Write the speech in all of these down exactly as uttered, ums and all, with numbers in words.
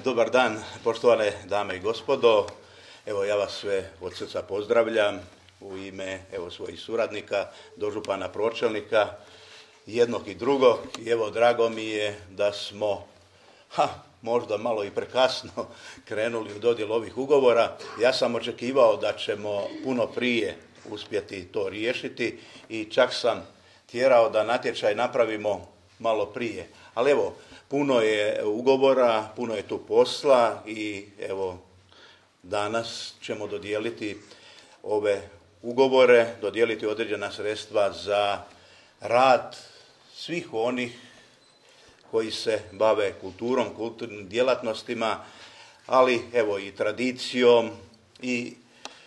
Dobar dan, poštovane dame i gospodo. Evo, ja vas sve od srca pozdravljam u ime evo svojih suradnika, dožupana, pročelnika, jednog i drugog. I evo, drago mi je da smo, ha, možda malo i prekasno krenuli u dodjelu ovih ugovora. Ja sam očekivao da ćemo puno prije uspjeti to riješiti i čak sam tjerao da natječaj napravimo malo prije. Ali evo, puno je ugovora, puno je tu posla i evo, danas ćemo dodijeliti ove ugovore, dodijeliti određena sredstva za rad svih onih koji se bave kulturom, kulturnim djelatnostima, ali evo i tradicijom i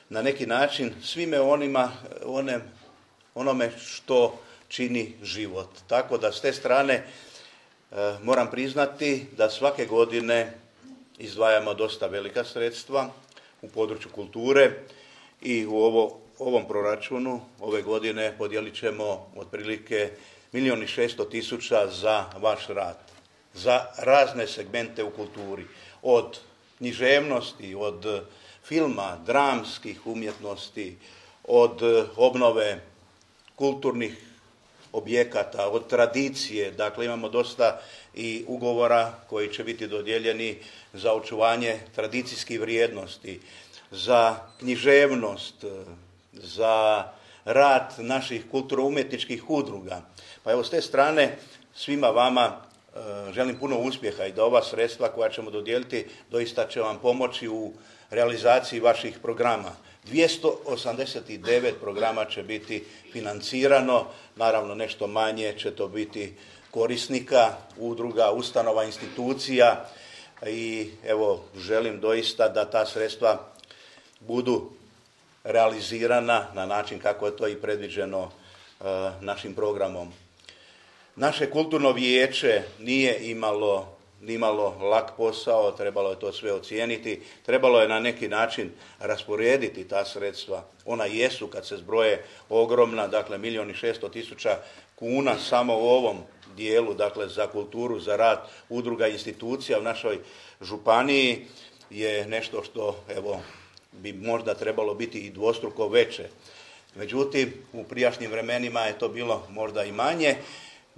na neki način svime onima, one, onome što čini život. Tako da s te strane e, moram priznati da svake godine izdvajamo dosta velika sredstva u području kulture i u ovo, ovom proračunu ove godine podijelit ćemo otprilike milijun i šesto tisuća za vaš rad, za razne segmente u kulturi, od književnosti, od filma, dramskih umjetnosti, od obnove kulturnih objekata, od tradicije. Dakle, imamo dosta i ugovora koji će biti dodijeljeni za očuvanje tradicijskih vrijednosti, za književnost, za rad naših kulturno-umjetničkih udruga. Pa evo, s te strane svima vama e, želim puno uspjeha i da ova sredstva koja ćemo dodijeliti doista će vam pomoći u realizaciji vaših programa. dvjesto osamdeset devet programa će biti financirano, naravno nešto manje će to biti korisnika, udruga, ustanova, institucija i evo, želim doista da ta sredstva budu realizirana na način kako je to i predviđeno e, našim programom. Naše kulturno vijeće nije imalo nimalo lak posao, trebalo je to sve ocijeniti, trebalo je na neki način rasporediti ta sredstva. Ona jesu, kad se zbroje, ogromna, dakle milijun i šesto tisuća kuna samo u ovom dijelu, dakle za kulturu, za rad udruga i institucija u našoj županiji je nešto što evo bi možda trebalo biti i dvostruko veće. Međutim, u prijašnjim vremenima je to bilo možda i manje.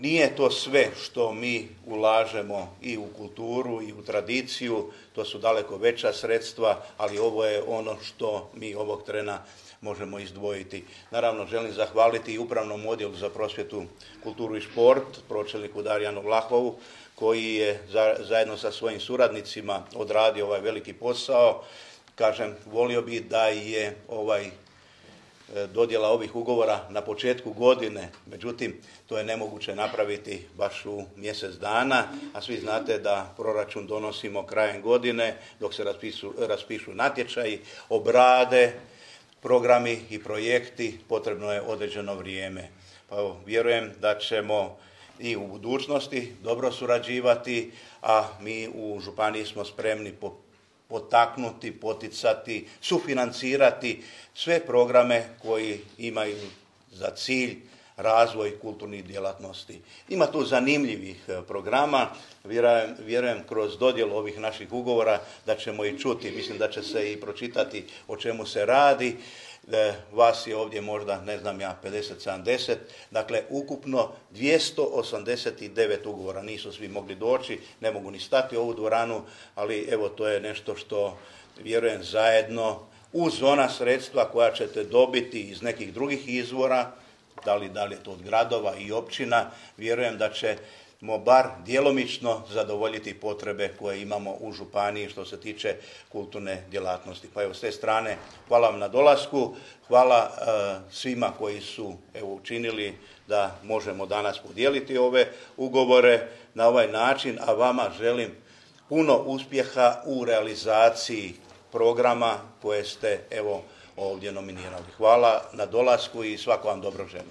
Nije to sve što mi ulažemo i u kulturu i u tradiciju, to su daleko veća sredstva, ali ovo je ono što mi ovog trena možemo izdvojiti. Naravno, želim zahvaliti i Upravnom odjelu za prosvjetu, kulturu i šport, pročelniku Darijanu Vlahovu, koji je za, zajedno sa svojim suradnicima odradio ovaj veliki posao. Kažem, volio bi da je ovaj dodjela ovih ugovora na početku godine, međutim to je nemoguće napraviti baš u mjesec dana, a svi znate da proračun donosimo krajem godine dok se raspisu, raspišu natječaji, obrade programi i projekti, potrebno je određeno vrijeme. Pa evo, vjerujem da ćemo i u budućnosti dobro surađivati, a mi u županiji smo spremni po potaknuti, poticati, sufinancirati sve programe koji imaju za cilj razvoj kulturnih djelatnosti. Ima tu zanimljivih programa, vjerujem, vjerujem kroz dodjelu ovih naših ugovora da ćemo i čuti, mislim da će se i pročitati o čemu se radi. Vas je ovdje možda, ne znam ja, pedeset sedamdeset, dakle ukupno dvjesto osamdeset devet ugovora. Nisu svi mogli doći, ne mogu ni stati u ovu dvoranu, ali evo, to je nešto što vjerujem zajedno uz ona sredstva koja ćete dobiti iz nekih drugih izvora, da li, da li je to od gradova i općina, vjerujem da ćemo bar djelomično zadovoljiti potrebe koje imamo u županiji što se tiče kulturne djelatnosti. Pa evo, s te strane hvala vam na dolasku, hvala uh, svima koji su evo učinili da možemo danas podijeliti ove ugovore na ovaj način, a vama želim puno uspjeha u realizaciji programa koje ste evo ovdje nominirali. Hvala na dolasku i svako vam dobro želim.